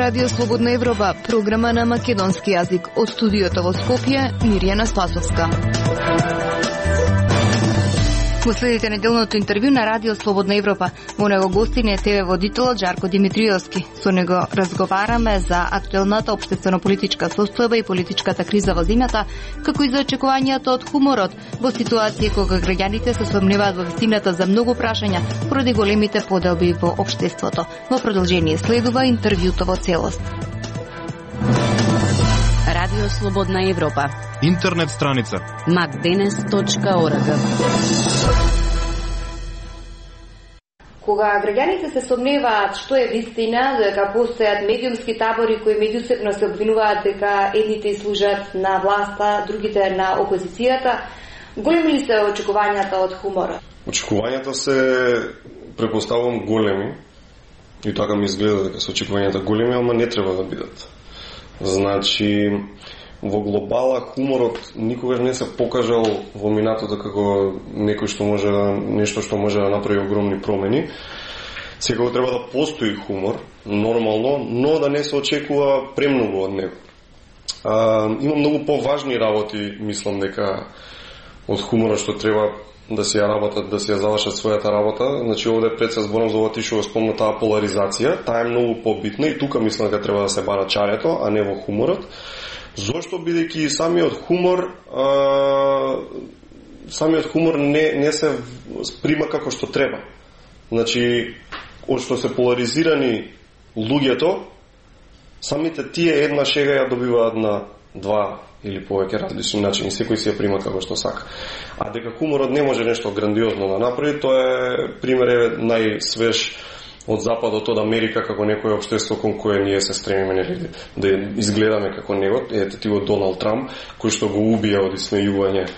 Радио Слободна Европа, програма на македонски јазик. Од студиото во Скопје, Мирјана Спасовска. Го следите неделното интервју на Радио Слободна Европа. Во него гостин е ТВ водителот Жарко Димитриевски. Со него разговараме за актуелната општествено-политичка состојба и политичката криза во земјата, како и за очекувањата од хуморот во ситуација кога граѓаните се сомневаат во вистината за многу прашања поради големите поделби во општеството. Во продолжение следува интервјуто во целост. Радио Слободна Европа. Интернет страница macdenes.org. Кога граѓаните се сомневаат што е вистина, дека постојат медиумски табори кои меѓусебно се обвинуваат дека едните служат на власта, другите на опозицијата, големи ли се очекувањата од хуморот? Очекувањата се, препоставувам, големи. И така ми изгледа дека се очекувањата големи, ама не треба да бидат. Значи, во глобала хуморот никогаш не се покажал во минатото како нешто што може да направи огромни промени. Секако треба да постои хумор, нормално, но да не се очекува премногу од него. Има многу поважни работи, мислам дека од хуморот што треба да си ја работат, да си ја завршат својата работа. Значи овде пред се зборам за ова ти што го спомна таа поларизација, таа е многу побитна и тука мислам дека треба да се бара чарето, а не во хуморот. Зошто? Бидејќи самиот хумор не се прима како што треба. Значи, од што се поларизирани луѓето, самите тие една шега ја добиваат на два или повеќе различни начини, секој си ја прима како што сака. А дека хуморот не може нешто грандиозно да направи, тоа е пример најсвеж од Западот, од Америка, како некој општество кон кое ние се стремиме да изгледаме како него. Ете ти го Доналд Трамп, кој што го убија од исмејување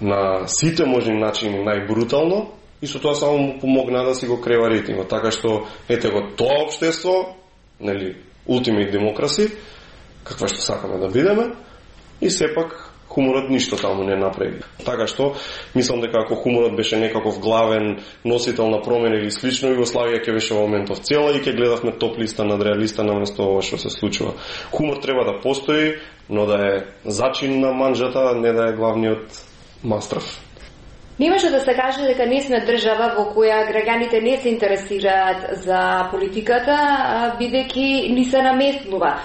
на сите можни начини најбрутално, и со тоа само му помогна да си го крева рейтингот. Така што, ете го тоа општество, ултимейт демокраси, каква што сакаме да бидеме, и сепак хуморот ништо таму не направи. Така што, мислам дека ако хуморот беше некаков главен носител на промена или слично, Југославија ќе беше во моментов цела и ќе гледавме топ листа над реалиста наместо ова што се случува. Хумор треба да постои, но да е зачин на манџата, не да е главниот мастрав. Не може да се каже дека не сме држава во која граѓаните не се интересираат за политиката, бидејќи ни се наметнува.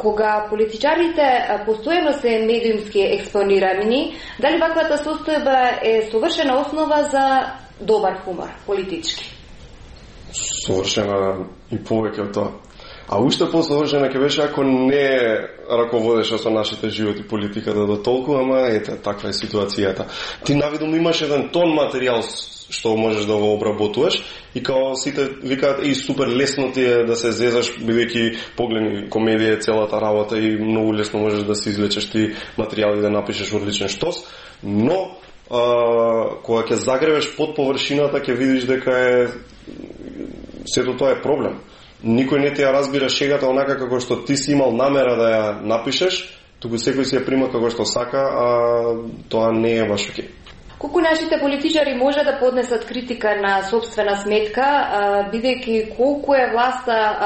Кога политичарите постојано се медиумски експонирани, дали ваквата состојба е совршена основа за добар хумор политички? Совршена и повеќе од тоа. А уште посовршена ќе беше ако не раководеше со нашите животи политиката до толку, ама ете, таква е ситуацијата. Ти навидум имаш еден тон материјал што можеш да го обработуваш и као сите викаат и супер лесно ти е да се зезаш, бидејќи погледни комедија е целата работа и многу лесно можеш да се извлечеш ти материјали да напишеш одличен штос, но кога ќе загребеш под површината ќе видиш дека сето тоа е проблем. Никој не ти ја разбира шегата онака како што ти си имал намера да ја напишеш, туку секој си ја прима како што сака, а тоа не е баш окей. Колку нашите политичари може да поднесат критика на собствена сметка, бидејќи колку е власта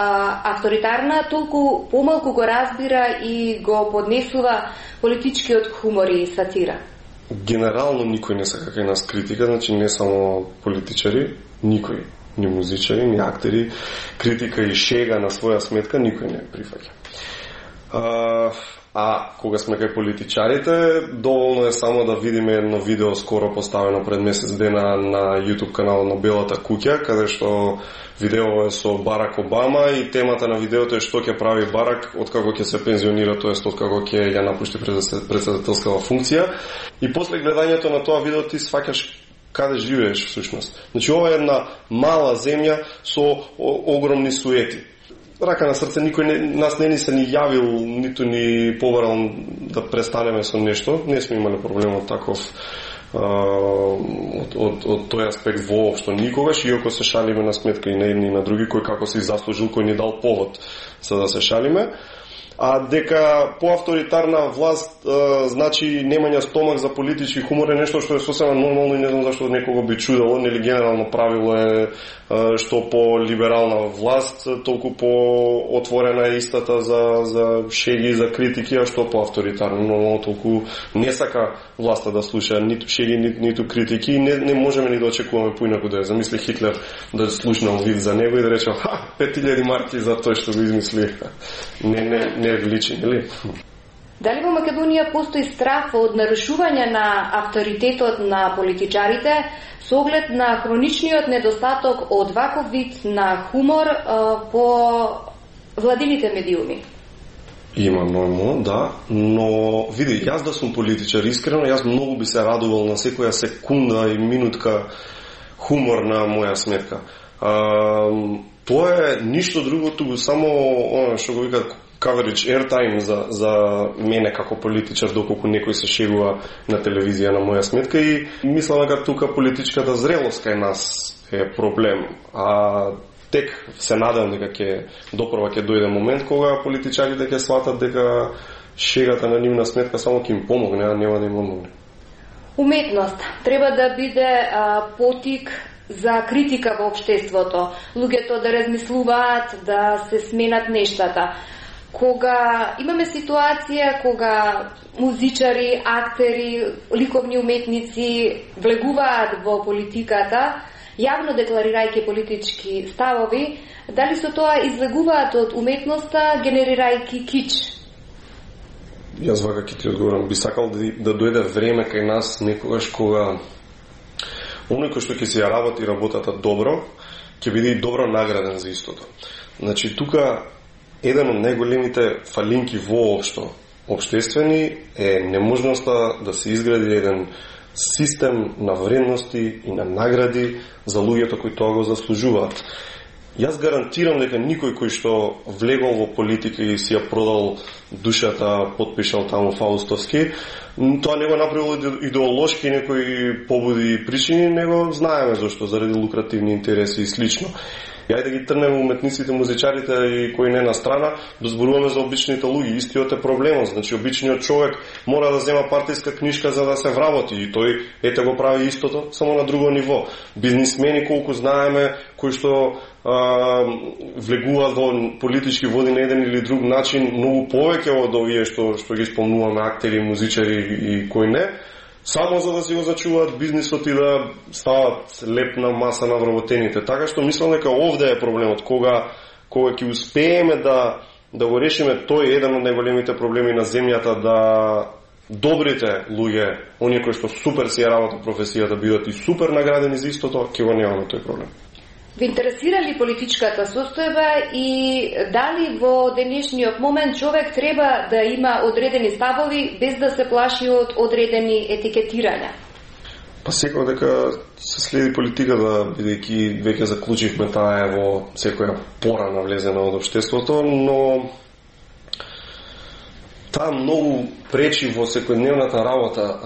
авторитарна, толку помалку го разбира и го поднесува политичкиот хумор и сатира? Генерално никој не сака кај нас критика, значи не само политичари, никој. Ни музичари, ни актери, критика и шега на своја сметка никој не прифаќа. А кога сме кај политичарите, доволно е само да видиме едно видео скоро поставено пред месец дена на YouTube каналот на Белата куќа, каде што видео е со Барак Обама и темата на видеото е што ќе прави Барак откако ќе се пензионира, тоест откако ќе ја напушти председателскава функција. И после гледањето на тоа видео ти сваќаш каде живееш всушност. Значи ова е една мала земја со огромни суети. Рака на срце, никој нас не ни се ни јавил, ниту ни побарал да престанеме со нешто. Не сме имали проблем од таков од тој аспект воопшто никогаш, иако се шалиме на сметка и на едни и на други, кој како се заслужил, кој ни дал повод за да се шалиме. а дека поавторитарна власт значи немање стомак за политички хумор е нешто што е сосема нормално и не знам зашто некого би чудело, нели генерално правило е што по либерална власт толку по отворена е истата за шеги, за критики, а што по авторитарно, но толку не сака власта да слуша ниту шеги, ниту критики и не можеме ни да очекуваме поинаку да е. Замисли Хитлер да слушнал вид за него и да рече 5000 марки за тој што го измисли. Не личи, нели? Дали во Македонија постои страх од нарушување на авторитетот на политичарите со оглед на хроничниот недостаток од ваков вид на хумор по владините медиуми? Има нормално, да, но види, јас да сум политичар, искрено, јас многу би се радувал на секоја секунда и минутка хумор на моја сметка. Тоа е ништо друго, туку само што го викаат coverage, airtime за мене како политичар, доколку некој се шегува на телевизија на моја сметка и мислам дека тука политичката зрелост кај нас е проблем. А тек се надевам дека ќе дојде момент кога политичарите ќе сватат дека шегата на нивна сметка само ќе им помогне, а нема да им помогне. Уметност треба да биде потик за критика во општеството, луѓето да размислуваат, да се сменат нештата. Кога имаме ситуација кога музичари, актери, ликовни уметници влегуваат во политиката, јавно декларирајќи политички ставови, дали со тоа излегуваат од уметноста, генерирајќи кич? Јас вака ќе ти одговорам. Би сакал да дојде време кај нас некогаш кога оној кој што ќе се работи работата добро, ќе биде и добро награден за истото. Значи, тука еден од најголемите фалинки воопшто општествени е неможноста да се изгради еден систем на вредности и на награди за луѓето кои тоа го заслужуваат. Јас гарантирам дека никој кој што влегол во политика и си ја продал душата, подпишал таму фаустовски, тоа не го направило идеолошки некои побуди и причини, него знаеме зашто, заради лукративни интереси и слично. Јај да ги трнем уметниците, музичарите и кои не на страна, да зборуваме за обичните луѓе. Истиот е проблемот. Значи, обичниот човек мора да зема партиска книжка за да се вработи и тој ете го прави истото, само на друго ниво. Бизнисмени, колку знаеме, кои што влегуваат во политички води на еден или друг начин, многу повеќе од овие што ги спомнуваме, актери, музичари и кои не, само за да си го зачуваат бизнисот и да стават лепна маса на вработените. Така што мислам дека овде е проблемот, кога ќе успееме да го решиме тој еден од најголемите проблеми на земјата, да добрите луѓе, оние кои што супер си ја работат професијата, бидат и супер наградени за истото, ќе го немаме тој проблем. Ви интересира ли политичката состојба и дали во денешниот момент човек треба да има одредени ставови без да се плаши од одредени етикетирања? Па секој дека се следи политиката, бидејќи веќе заклучивме таа е во секоја пора навлезена од општеството, но таа многу пречи во секојдневната работа.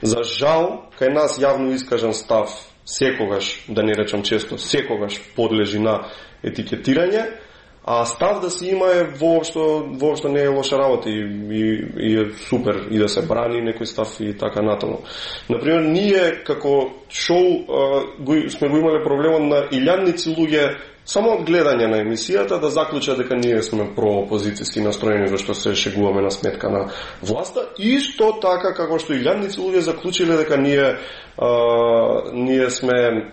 За жал, кај нас јавно искажан став секогаш, да не речам често, секогаш подлежи на етикетирање, а став да се има е воопшто не е лоша работа и е супер и да се брани некој став и така натаму. Например, ние како шоу сме го имале проблемот на илјадници луѓе само од гледање на емисијата да заклучат дека ние сме проопозицијски настроени зашто се шегуваме на сметка на власта. Исто така како што илјадници луѓе заклучиле дека ние сме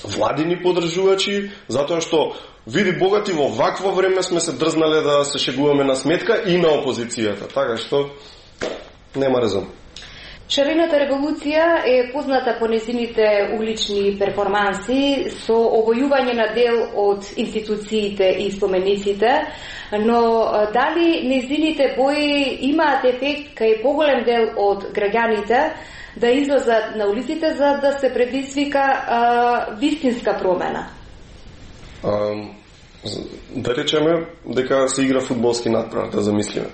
владини поддржувачи, затоа што види богати во вакво време сме се дрзнале да се шегуваме на сметка и на опозицијата. Така што нема резон. Шарената револуција е позната по незините улични перформанси со овојување на дел од институциите и спомениците, но дали незините бои имаат ефект кај поголем дел од граѓаните да излезат на улиците за да се предизвика вистинска промена? Да речеме дека се игра фудбалски надпревар, да замислиме.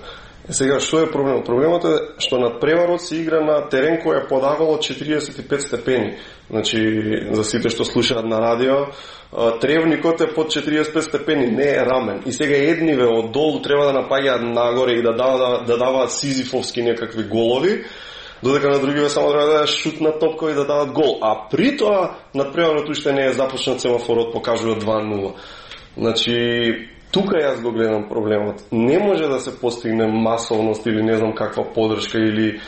Сега, што е проблемот? Проблемот е што надпреварот се игра на терен кој е подавало 45 степени. Значи, за сите што слушаат на радио, тревникот е под 45 степени, не е рамен. И сега едниве од долу треба да напаѓаат нагоре и да даваат сизифовски некакви голови, додека на другиве само треба да шутнат топка и да дават гол. А при тоа надпреварот уште не е започнат, семафорот покажува 2-0. Значи, тука јас го гледам проблемот. Не може да се постигне масовност или не знам каква поддршка или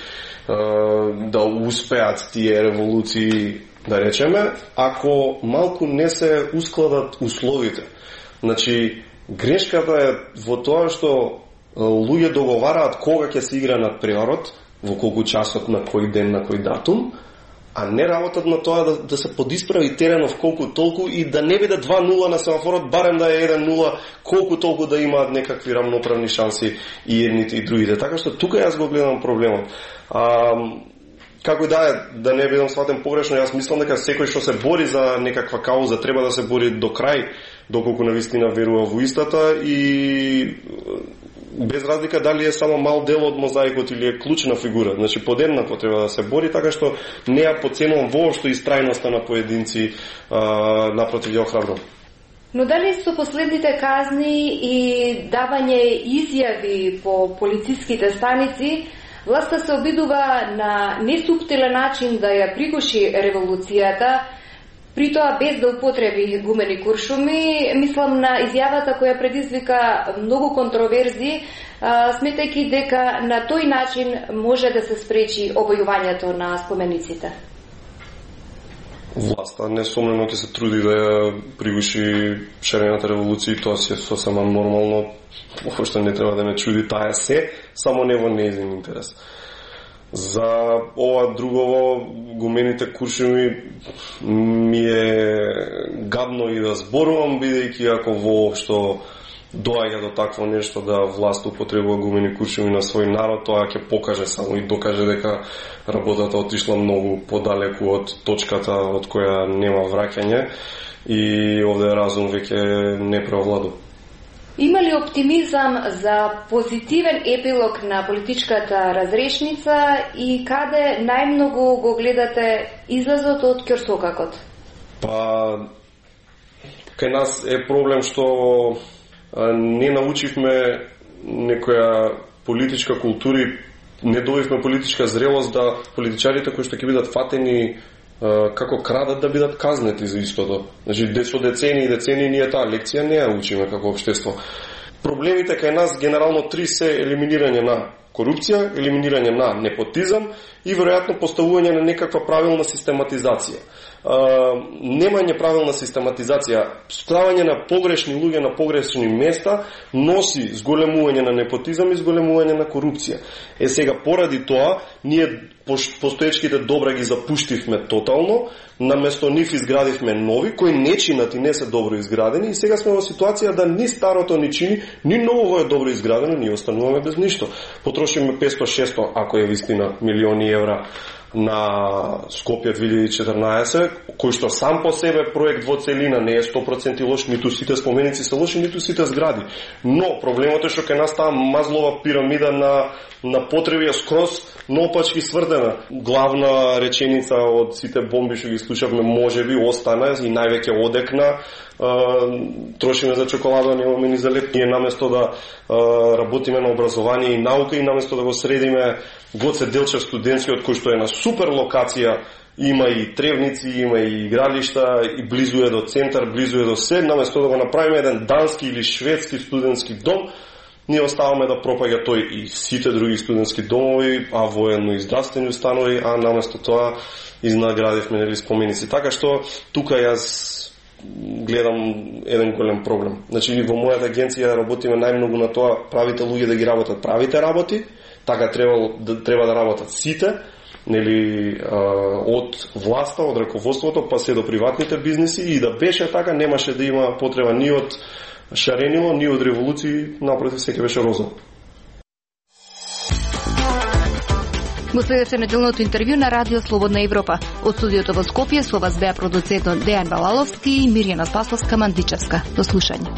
да успеат тие револуции, да речеме, ако малку не се ускладат условите. Значи, грешката е во тоа што луѓе договараат кога ќе се игра надпреварот, во колку часот, на кој ден, на кој датум, а не работат на тоа да се подисправи теренов колку толку и да не биде 2-0 на семафорот, барем да е 1-0, колку толку да имаат некакви рамноправни шанси и едните и другите. Така што тука јас го гледам проблемот. Како да не бидам сватен погрешно, јас мислам дека секој што се бори за некаква кауза треба да се бори до крај, доколку навистина верува во истата и без разлика дали е само мал дел од мозаикот или е клучна фигура. Значи подеднакво треба да се бори, така што не ја подценувам воопшто истрајноста на поединци, напротив ја охрабрувам. Но дали со последните казни и давање изјави по полициските станици, власта се обидува на несуптилен начин да ја пригуши револуцијата, при тоа без да употреби гумени куршуми? Мислам на изјавата која предизвика многу контроверзи, сметајќи дека на тој начин може да се спречи обојувањето на спомениците. Власта несомнено ќе се труди да ја пригуши шарената револуција и тоа се сосема нормално. Воопшто не треба да ме чуди таа се, само не во нејзин интерес. За ова другово, гумените куршуми, ми е гадно и да зборувам, бидејќи ако воопшто доаѓа до такво нешто да власт употребува гумени куршуми на свој народ, тоа ќе покаже само и докаже дека работата отишла многу подалеку од точката од која нема враќање и овде разум веќе не преовладува. Има ли оптимизам за позитивен епилог на политичката разрешница и каде најмногу го гледате излазот од ќорсокакот? Па, кај нас е проблем што не научивме некоја политичка култура и не добивме политичка зрелост да политичарите кои што ќе бидат фатени како крадат да бидат казнети за истото. Значи, со децени и децени ние таа лекција не ја учиме како општество. Проблемите кај нас генерално 3 се елиминирање на корупција, елиминирање на непотизам и веројатно поставување на некаква правилна систематизација. Немање правилна систематизација, ставање на погрешни луѓе на погрешни места носи зголемување на непотизам и зголемување на корупција. Сега поради тоа ние постоечките добра ги запуштивме тотално, наместо нив изградивме нови кои не чинат и не се добро изградени и сега сме во ситуација да ни старото ни чини, ни ново е добро изградено, ние остануваме без ништо. Потрошиме 500-600, ако е вистина, милиони евра на Скопје 2014, кој што сам по себе проект во целина не е 100% лош, ниту сите споменици се лоши, ниту сите згради. Но проблемот е што кај нас таа мазлова пирамида на потреби е скроз наопачки сврдена. Главна реченица од сите бомби што ги слушавме можеби остана и највеќе одекна. Трошиме за чоколада, немаме ни за леп. Ние наместо да работиме на образование и наука и наместо да го средиме Гоце Делчев студентскиот кој што е на супер локација, има и тревници, има и игралишта, и близу е до центар, близу е до се, наместо да го направиме еден дански или шведски студентски дом, ние оставаме да пропаѓа тој и сите други студентски домови, а военно и здравствени установи, а наместо тоа изнаградивме нели споменици. Така што тука јас гледам еден голем проблем. Значи во мојата агенција работиме најмногу на тоа правите луѓе да ги работат правите работи, така треба да работат сите, нели од власта, од раководството, па се до приватните бизнеси и да беше така немаше да има потреба ни од шаренило, ни од револуции, напротив секој беше роза. Го следете неделното интервју на Радио Слободна Европа. Од студиото во Скопје со вас беа продуцентот Дејан Балаловски и Мирјана Спасовска-Мандичевска. До слушање.